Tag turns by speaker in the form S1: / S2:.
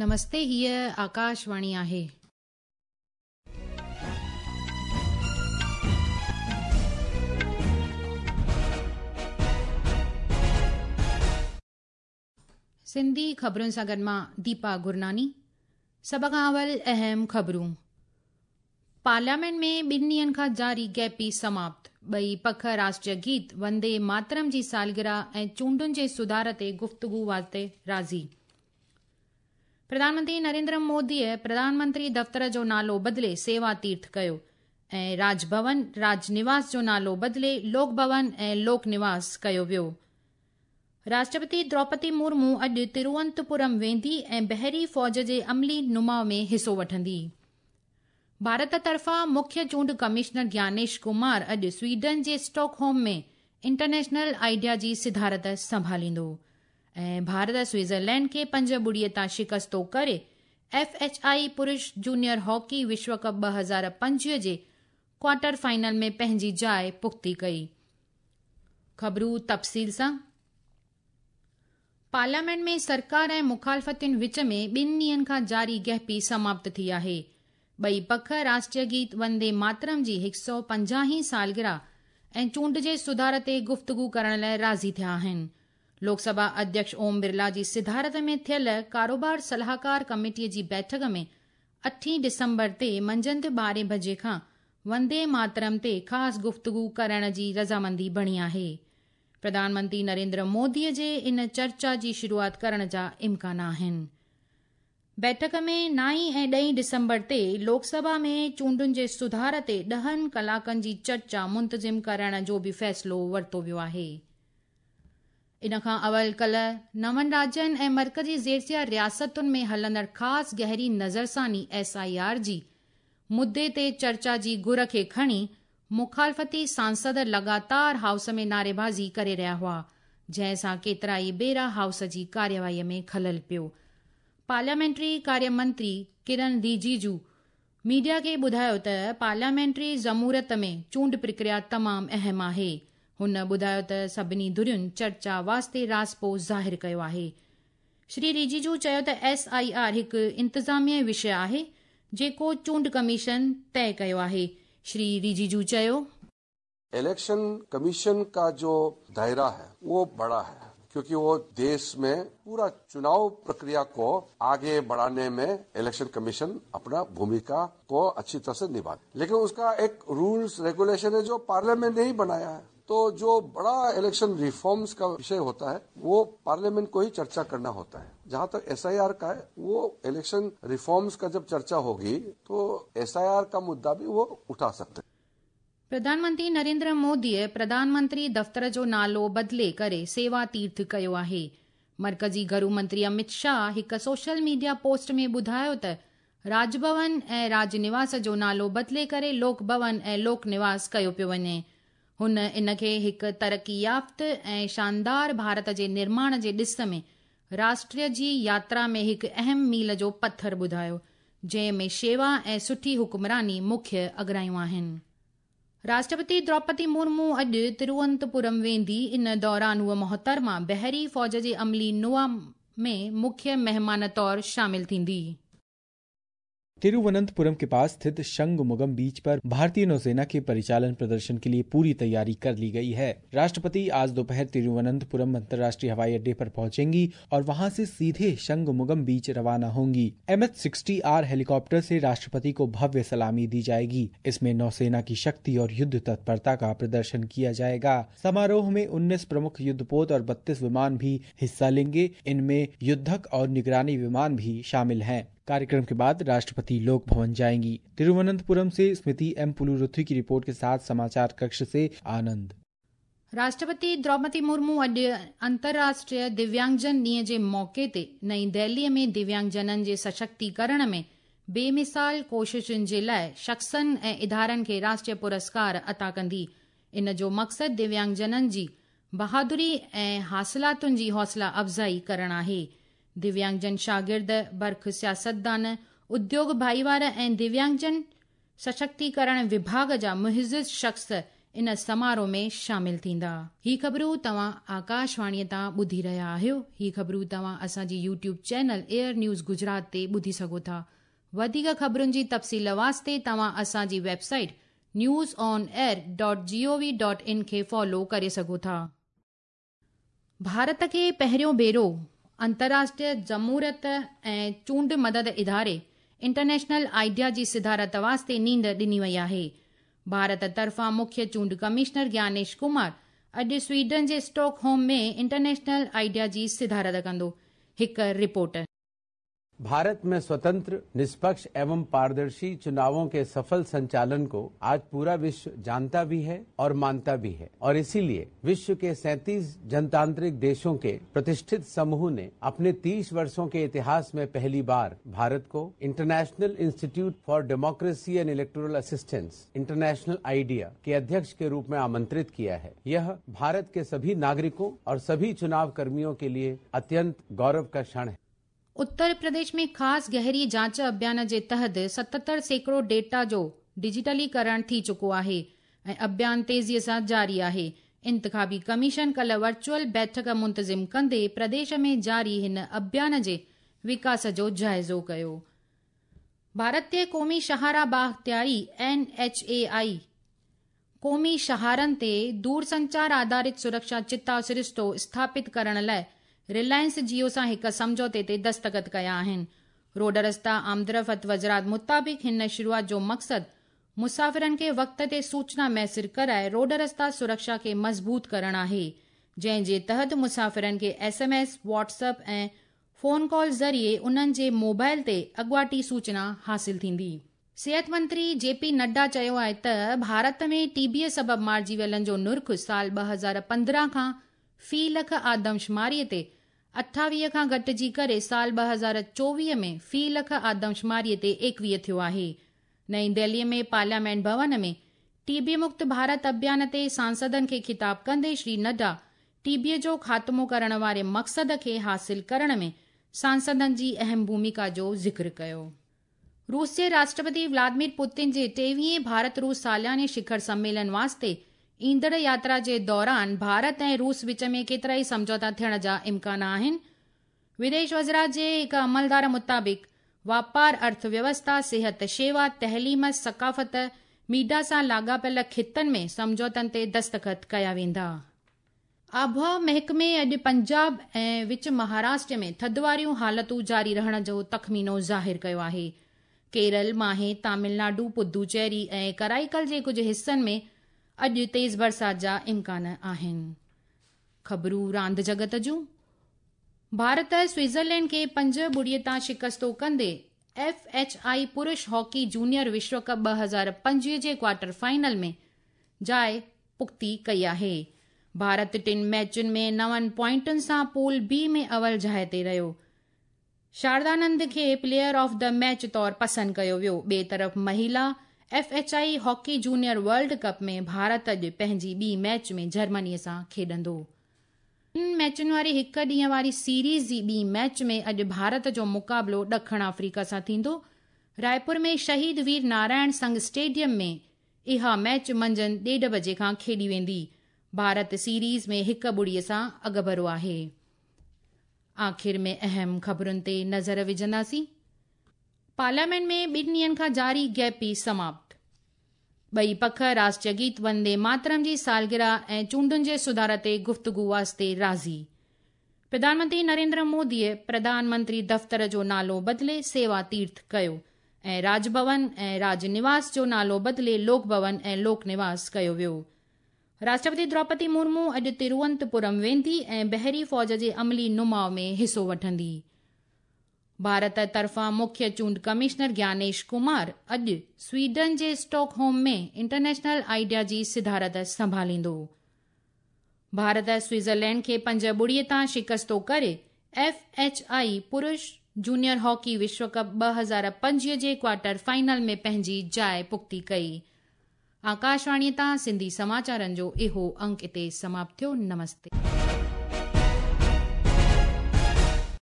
S1: نمستي هيء آڪاشواڻي آهي. سنڌي خبرن سان گڏ مان ديپا گرناني. سڀ کان اول اهم خبرون. پارليامينٽ ۾ ٻن ڏينهن کان جاري گيپي سماپت، ٻئي پک راشٽريه گيت وندي ماترم جي سالگرهه ۽ چونڊن جي سڌار تي گفتگو واسطي راضي. پرڌان منتري نريندر موديء پرڌان منتري دفتر جو نالو بدلي سيوا تيرٿ ڪيو ۽ راج ڀون، راج نواس جو نالو بدلي لوڪ ڀون ۽ لوڪ نواس ڪيو ويو. راشٽرپتي دروپدي مرمو اڄ تروونتپورم ويندي ۽ بحري فوج جي عملي نماء ۾ حصو وٺندي. ڀارت طرفان مکيه چونڊ ڪمشنر گيانيش ڪمار اڄ سوئيڊن جي اسٽاڪ هوم ۾ انٽرنيشنل آئيڊيا جي صدارت سنڀاليندو ۽ ڀارت سوئٽزرلينڊ کي پنج ٻڙي تان شڪستو ڪري ايف ايڇ I پرش جونيئر هاڪي وشو ڪپ 2025 جي ڪوارٽر فائنل ۾ پنهنجي جاء پختي ڪئي. خبرون تفصيل سان. پارليامينٽ ۾ سرڪار ۽ مخالفتين وچ ۾ ٻن ڏينهن کان جاري گهپي سماپت ٿي آهي. ٻئي پک راشٽريه گيت وندي ماترم جي هڪ سئو پنجاهين سالگرهه ۽ چونڊ جي سڌار تي گفتگو ڪرڻ لاء راضي ٿيا آهن. لوڪ سڀا اڌيڪش اوم برلا جي صدارت ۾ ٿيل ڪاروبار صلاحڪار ڪميٽي جي بيٺڪ ۾ اٺين ڊسمبر تي منجهند ٻارهين بجي کان وندي ماترم تي خاص گفتگو ڪرڻ جي رضامندي بڻي آهي. پرڌان منتري نريندر مودي جي ان چرچا جي شروعات ڪرڻ جا امڪان آهن. بيٺڪ ۾ نائين ۽ ڏهين ڊسمبر تي لوڪ سڀا ۾ چونڊن جي سڌار تي ڏهن ڪلاڪن جي چرچا منتظم ڪرڻ جو به فيصلو ورتو ويو آهي. ان کان اول ڪلهه نون راجين ۽ مرڪزي زيرسيا رياستن ۾ هلندڙ خاص گهري نظرثاني، ايس I R, جي مدي تي چرچا جي گهر کي کڻي مخالفتي سانسد لڳاتار هائوس ۾ نعريبازي ڪري رهيا هئا، جنهن سان ڪيترائي ڀيرا هائوس جي ڪارروائي ۾ خلل پيو. پارليامينٽري ڪاريه منتري ڪرن ريجيجو ميڊيا کي ٻڌايو ته پارليامينٽري جمهوريت ۾ چونڊ پرڪريا تمام اهم آهي. هن ٻڌايو ته سڀني ڌرين چرچا واسطي راضپو ظاهر ڪيو آهي. شري ريجيجو چيو ته ايس I R هڪ انتظامي وشيه آهي جيڪو چونڊ ڪميشن طئي ڪيو آهي. شري ريجيجو چيو.
S2: इलेक्शन कमीशन का जो दायरा है वो बड़ा है, क्योंकि वो देश में पूरा चुनाव प्रक्रिया को आगे बढ़ाने में इलेक्शन कमीशन अपना भूमिका को अच्छी तरह से निभा, लेकिन उसका एक रूल्स रेगुलेशन है जो पार्लियामेंट ने ही बनाया है। तो जो बड़ा इलेक्शन रिफॉर्म्स का विषय होता है वो पार्लियामेंट को ही चर्चा करना होता है। जहां तक एसआईआर का है, वो इलेक्शन रिफॉर्म्स का जब चर्चा होगी तो एसआईआर का मुद्दा भी वो उठा सकते हैं।
S1: प्रधानमंत्री नरेंद्र मोदीअ प्रधानमंत्री दफ़्तर जो नालो बदिले करे सेवा तीर्थ कयो आहे। मर्कज़ी घरू मंत्री अमित शाह हिकु सोशल मीडिया पोस्ट ۾ ٻڌايو ته راج ڀون ۽ راج نواس جو نالو بدلي ڪري لوڪ ڀون ۽ لوڪ نواس ڪيو پيو وڃي. هن ان کي هڪ ترقي يافته ۽ شاندار ڀارت جي نرماڻ جي ڏس ۾ راشٽر جي ياترا ۾ هڪ اهم ميل جو پٿر ٻڌايو، جنهن ۾ شيوا ۽ سٺي حڪمراني مکيه اڳرايون آهن. راشٽرپتي دروپدي مرمو اڄ تروونتپورم ويندي، ان دوران هوء محترمه بحري فوج جي عملي نماء ۾ مکيه مهمان طور شامل ٿيندي.
S3: तिरुवनंतपुरम के पास स्थित शंगुमुगम बीच पर भारतीय नौसेना के परिचालन प्रदर्शन के लिए पूरी तैयारी कर ली गई है। राष्ट्रपति आज दोपहर तिरुवनंतपुरम अंतर्राष्ट्रीय हवाई अड्डे पर पहुंचेंगी और वहां से सीधे शंगुमुगम बीच रवाना होंगी। MH-60R helicopter से राष्ट्रपति को भव्य सलामी दी जाएगी। इसमें नौसेना की शक्ति और युद्ध तत्परता का प्रदर्शन किया जाएगा। समारोह में 19 प्रमुख युद्धपोत और 32 विमान भी हिस्सा लेंगे। इनमें युद्धक और निगरानी विमान भी शामिल हैं। कार्यक्रम के बाद राष्ट्रपति लोक भवन जाएंगी। तिरुवनंतपुरम से स्मृति एम पुलुरुथी की रिपोर्ट के साथ समाचार कक्ष से आनंद।
S1: राष्ट्रपति द्रौपदी मुर्मू अॼु अंतर्राष्ट्रीय दिव्यांगजन ॾींहं जे मौक़े ते नई दिल्लीअ में दिव्यांगजननि जे सशक्तीकरण में बेमिसाल कोशिशुनि जे लाइ शख़्सनि ऐं इदारनि खे राष्ट्रीय पुरस्कार अता कंदी। इन जो मक़सदु दिव्यांगजननि जी बहादुरी ऐं हासिलातुनि जी हौसला अफ़ज़ाई करणु आहे। दिव्यांगजन शागिर्द, बर्ख सियासतदान, उद्योग भाईवार ऐं दिव्यांगजन सशक्तीकरण विभाग जा मुहज़िज़ शख़्स ان سماروهه ۾ شامل ٿيندا. هي خبرون توهان آڪاشواڻيء تان ٻڌي رهيا آهيو. هي خبرون توهان اسان جي YouTube channel AIR news Gujarat تي ٻڌي سگهو ٿا. وڌيڪ خبرن جي تفصيل واسطي توهان اسان جي website news on air dot G O V dot in کي فالو ڪري سگهو ٿا. ڀارت کي پهريون ڀيرو انترراشٽريه جمهوريت ۽ چونڊ مدد اداري انٽرنيشنل آئيڊيا جي صدارت واسطي نينڍ ڏني وئي آهي. ڀارت طرفان مکيه چونڊ ڪمشنر گيانيش ڪمار اڄ سوئيڊن جي اسٽاڪ هوم ۾ انٽرنيشنل آئيڊيا جي صدارت ڪندو. هڪ رپورٽ.
S4: भारत में स्वतंत्र, निष्पक्ष एवं पारदर्शी चुनावों के सफल संचालन को आज पूरा विश्व जानता भी है और मानता भी है और इसीलिए विश्व के 37 जनतांत्रिक देशों के प्रतिष्ठित समूह ने अपने 30 वर्षों के इतिहास में पहली बार भारत को International Institute for Democracy and Electoral Assistance, International IDEA के अध्यक्ष के रूप में आमंत्रित किया है। यह भारत के सभी नागरिकों और सभी चुनाव कर्मियों के लिए अत्यंत गौरव का क्षण है।
S1: उत्तर प्रदेश में ख़ासि गहरी जांच अभियान जे तहत 77% डेटा जो डिजिटलीकरण थी चुको आहे ऐं अभियान तेज़ीअ सां जारी आहे। इंतिख़ाबी कमीशन कल्ह वर्चुअल बैठक मुंतज़िम कंदे प्रदेश में जारी हिन अभियान जे विकास जो जाइज़ो कयो। भारतीय क़ौमी शाहराह बाख़्तियारी एन एच ए आई क़ौमी शाहरनि ते दूरसंचार आधारित सुरक्षा चिताव सरिश्तो स्थापित करण लाइ रिलायंस जियो सां हिकु सम्झौते ते दस्तख़त कया आहिनि। रोड रस्ता आमदरफ़्त वज़ारत मुताबिक़ हिन शुरूआत जो मक़सदु मुसाफ़िरनि खे वक़्त ते सूचना मयसिर कराए रोड रस्ता सुरक्षा खे मज़बूत करणु आहे, जंहिं जे तहत मुसाफ़िरनि खे S M S, WhatsApp ऐं फ़ोन कॉल ज़रिए उन्हनि जे मोबाइल ते अॻुवाटी सूचना हासिल थींदी। सिहत मंत्री जे पी नड्डा चयो आहे त भारत में टीबीअ सबबु मारिजी वियलनि जो नुर्ख़ु साल 2015 खां फ़ी लख आदमशुमारीअ ते 28 खां घटिजी करे साल 2024 में फ़ी लख आदमशुमारीअ ते 21 थियो आहे। नई दिल्लीअ में पार्लियामेंट भवन में टीबी मुक्त भारत अभियान ते सांसदनि खे ख़िताब कंदे श्री नड्डा टीबीअ जो ख़ात्मो करण वारे मक़सद खे हासिल करण में सांसदनि जी अहम भूमिका जो ज़िक्र कयो। रूस जे राष्ट्रपति व्लादिमीर पुतिन जे 23वें भारत रूस सालाने शिखर सम्मेलन वास्ते ईंदड़ यात्रा जे दौरान भारत ऐं रूस विच में केतिरा ई सम्झौता थियण जा इम्कान आहिनि। विदेश वज़ारत जे हिकु अमलदार मुताबिक़ वापार, अर्थव्यवस्था, सिहत शेवा, तहलीम, सकाफ़त, मीडिया सां लाॻापियल ख़ितनि में सम्झौतनि ते दस्तख़त कया वेंदा। आबहवा महकमे अॼु पंजाब ऐं विच महाराष्ट्र में थधि वारियूं हालतूं जारी रहण जो तख़मीनो ज़ाहिर कयो आहे। केरल, माहे, तमिलनाडु, पुदुचेरी ऐं कराईकल जे कुझु हिसनि में अॼु तेज़ बरसाति जा इम्कान आहिनि। ख़बरूं रांदि जगत जूं। भारत स्विट्ज़रलैंड खे 5-0 तां शिकस्तो कंदे एफ एच I पुरुष हॉकी जूनियर विश्व कप 2025 जे क्वार्टर फाइनल में जाइ पुख़्ती कई आहे। भारत टिनि मैचुनि में 9 पॉइंटुनि सां पूल बी में अवल जाइ ते रहियो। शारदानंद खे प्लेयर ऑफ the match तौर पसंदि कयो वियो। ॿिए तरफ़ महिला F H I hockey junior world cup में भारत अॼु पंहिंजी ॿी मैच में जर्मनी सां खेॾंदो। टिनि मैचुनि वारी हिकु ॾींहं वारी सीरीज़ जी ॿी मैच में अॼु भारत जो मुक़ाबिलो ॾखण अफ्रीका सां थींदो। रायपुर में शहीद वीर नारायण संघ स्टेडियम में इहा मैच मंझंदि 1:30 बजे खां खेॾी वेंदी। भारत सीरीज़ में 1-0 सां अॻिभरो आहे। आख़िर में अहम ख़बरुनि ते नज़र विझंदासीं। पार्लियामेंट में ॿिनि ॾींहनि खां जारी गैपी समाप्त। ॿई पख राष्ट्रीय गीत वंदे मातरम जी सालगिरह ऐं चूंडुनि जे सुधार ते गुफ़्तगू वास्ते राज़ी। प्रधानमंत्री नरेंद्र मोदीअ प्रधानमंत्री दफ़्तर जो नालो बदिले सेवा तीर्थ कयो ऐं राजभवन ऐं राजनिवास जो नालो बदिले लोक भवन ऐं लोक निवास कयो वियो। राष्ट्रपति द्रौपदी मुर्मू अॼु तिरुवनंतपुरम वेंदी ऐं बहरी फ़ौज जे अमली नुमाउ में हिसो वठंदी। भारत तरफ़ां मुख्य चूंड कमिश्नर ज्ञानेश कुमार अॼु स्वीडन जे स्टॉकहोम में इंटरनेशनल आइडिया जी सिदारत संभालींदो। भारत स्विट्ज़रलैंड खे 5-0 तां शिकस्तो करे एफ एच I पुरुष जूनियर हॉकी विश्व कप 2025 जे क्वार्टर फाइनल में पंहिंजी जाइ पुख़्ती कई। आकाशवाणीअ तां सिंधी समाचारनि जो इहो अंक हिते समाप्त थियो। नमस्ते।